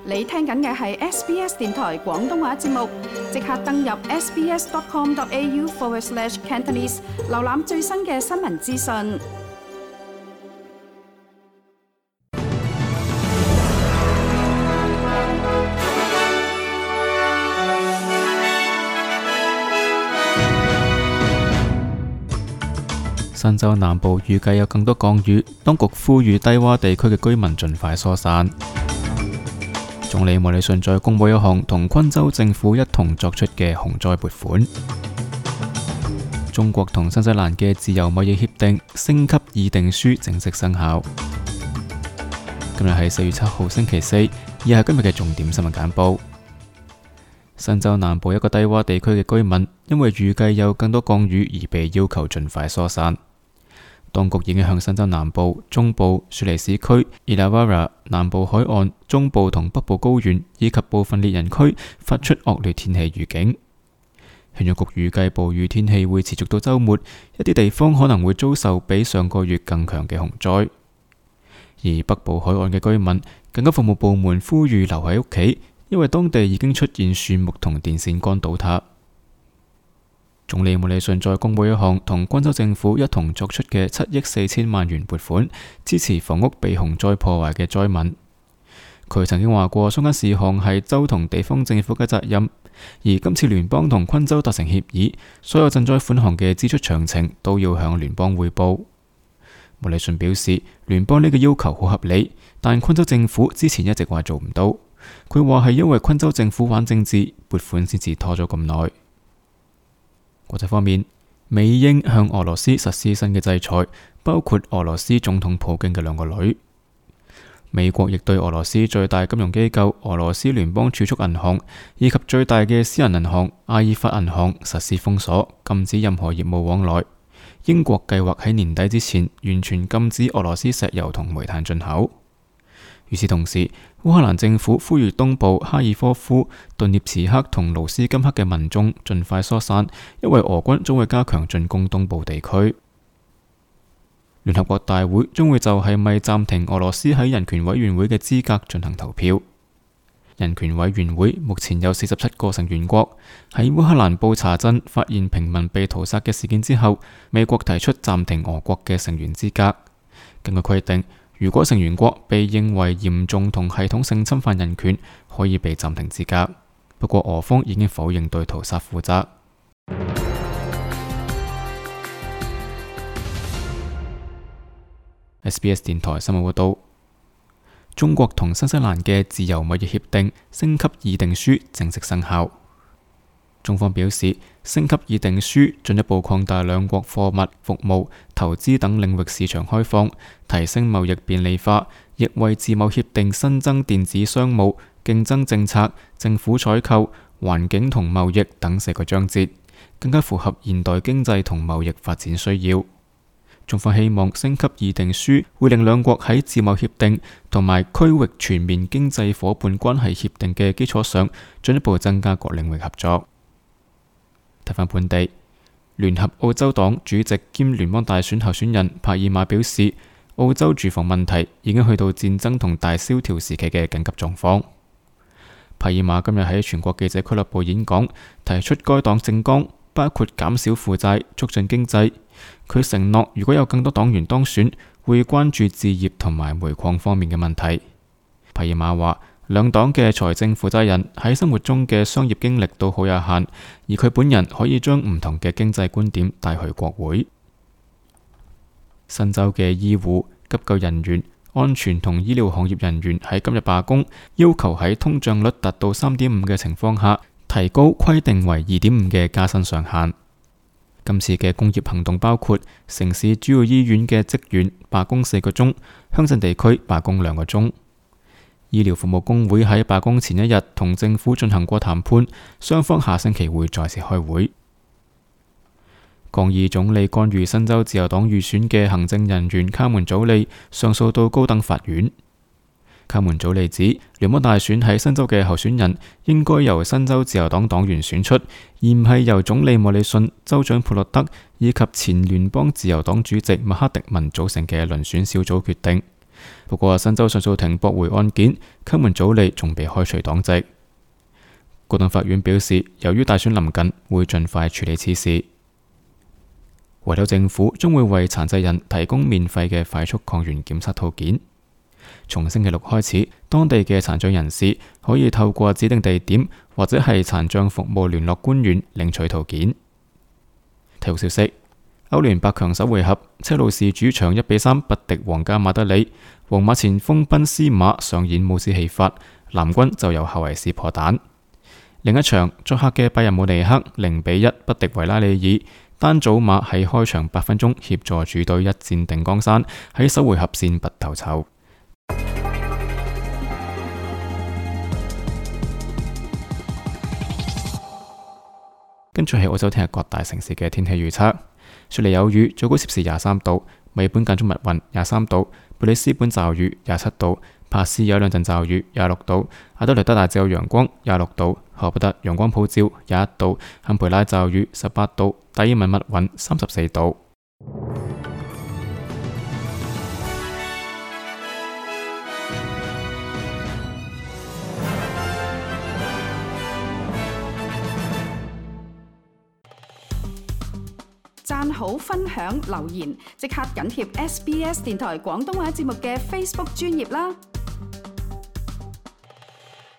你聽緊嘅係 SBS 電台廣東話節目，即刻登入 sbs.com.au/Cantonese 瀏覽最新嘅新聞資訊。新州南部預計有更多降雨，當局呼籲低洼地區嘅居民盡快疏散。總理莫里遜再公布一項同昆州政府一同作出嘅洪災撥款。中國同新西蘭嘅自由貿易協定升級議定書正式生效。今日係4月7號星期四，以下係今日嘅重點新聞簡報。新州南部一個低洼地區嘅居民因為預計有更多降雨而被要求盡快疏散。當局已經向新州南部、中部、雪梨市區、Illawarra、南部海岸、中部同北部高原以及部分烈人區發出惡劣天氣預警。氣象局預計暴雨天氣會持續到週末，一啲地方可能會遭受比上個月更強嘅洪災。而北部海岸嘅居民，緊急服務部門呼籲留喺屋企，因為當地已經出現樹木同電線桿倒塌。總理莫里遜再公布一項同昆州政府一同作出嘅7億4千萬元撥款，支持房屋被洪災破壞嘅災民。佢曾經話過，相關事項係州同地方政府嘅責任，而今次聯邦同昆州達成協議，所有賑災款項嘅支出詳情都要向聯邦匯報。莫里遜表示，聯邦呢個要求好合理，但昆州政府之前一直話做唔到。佢話係因為昆州政府玩政治，撥款先至拖咗咁耐。國際方面，美英向俄羅斯實施新嘅制裁，包括俄羅斯總統普京嘅2個女。美國亦對俄羅斯最大金融機構俄羅斯聯邦儲蓄銀行以及最大嘅私人銀行阿爾法銀行實施封鎖，禁止任何業務往來。英國計劃喺年底之前完全禁止俄羅斯石油同煤炭進口。與此同時，烏克蘭政府呼籲東部哈爾科夫、頓涅茨克同盧斯金克嘅民眾盡快疏散，因為俄軍將會加強進攻東部地區。聯合國大會將會就係咪暫停俄羅斯喺人權委員會嘅資格進行投票。人權委員會目前有47個成員國。喺烏克蘭布查鎮發現平民被屠殺嘅事件之後，美國提出暫停俄國嘅成員資格。根據規定，如果成員國被認為嚴重同系統性侵犯人權，可以被暫停資格。不過俄方已經否認對屠殺負責。SBS 電台新聞報道，中國同新西蘭嘅自由貿易協定升級議定書正式生效。中方表示，升級議定書進一步擴大兩國貨物、服務、投資等領域市場開放，提升貿易便利化，亦為自貿協定新增電子商務、競爭政策、政府採購、環境同貿易等4個章節，更加符合現代經濟同貿易發展需要。中方希望升級議定書會令兩國喺自貿協定同埋區域全面經濟夥伴關係協定嘅基礎上，進一步增加各領域合作。睇返本地，聯合澳洲黨主席兼聯邦大選候選人帕爾馬表示，澳洲住房問題已經去到戰爭同大蕭條時期嘅緊急狀況。帕爾馬今日喺全國記者俱樂部演講，提出該黨政綱包括減少負債、促進經濟。佢承諾，如果有更多黨員當選，會關注置業同埋煤礦方面嘅問題。帕爾馬話，兩黨嘅財政負責人喺生活中嘅商業經歷都好有限，而佢本人可以將唔同嘅經濟觀點帶去國會。新州嘅醫護、急救人員、安全同醫療行業人員喺今日罷工，要求喺通脹率達到 3.5 嘅情況下，提高規定為 2.5 嘅加薪上限。今次嘅工業行動包括城市主要醫院嘅職員罷工4個鐘，鄉鎮地區罷工2個鐘。醫療服務工會喺罷工前一日同政府進行過談判，雙方下星期會再次開會。抗議總理干預新州自由黨預選嘅行政人員卡門祖利上訴到高等法院。卡門祖利指，聯邦大選喺新州嘅候選人應該由新州自由黨黨員選出，而唔係由總理莫里遜、州長普洛德以及前聯邦自由黨主席麥克迪文組成嘅遴選小組決定。不過新州上訴庭駁回案件，給門祖利仲被開除黨籍。高等法院表示，由於大選臨近，會盡快處理此事。維州政府將會為殘疾人提供免費嘅快速抗原檢測套件。從星期六開始，當地嘅殘障人士可以透過指定地點或者係殘障服務聯絡官員領取套件。體育消息：歐聯8強首回合，車路士主場1-3不敵皇家馬德里，皇馬前鋒賓斯馬上演帽子戲法，藍軍就由後維斯破蛋。另一場作客嘅拜仁慕尼黑0-1不敵維拉利爾，丹祖馬喺開場8分鐘協助主隊一戰定江山，喺首回合先拔頭籌。跟住係澳洲聽日各大城市嘅天氣預測：雪梨有雨，最高攝氏23度；墨爾本間中密雲23度；布里斯本驟雨27度；帕斯有兩陣驟雨26度；阿德萊德大致有陽光26度；荷伯特陽光普照21度；坎培拉驟雨18度；達爾文密雲34度。讚好、分享、留言，即刻緊貼SBS 電台廣東話節目嘅 Facebook 專頁啦！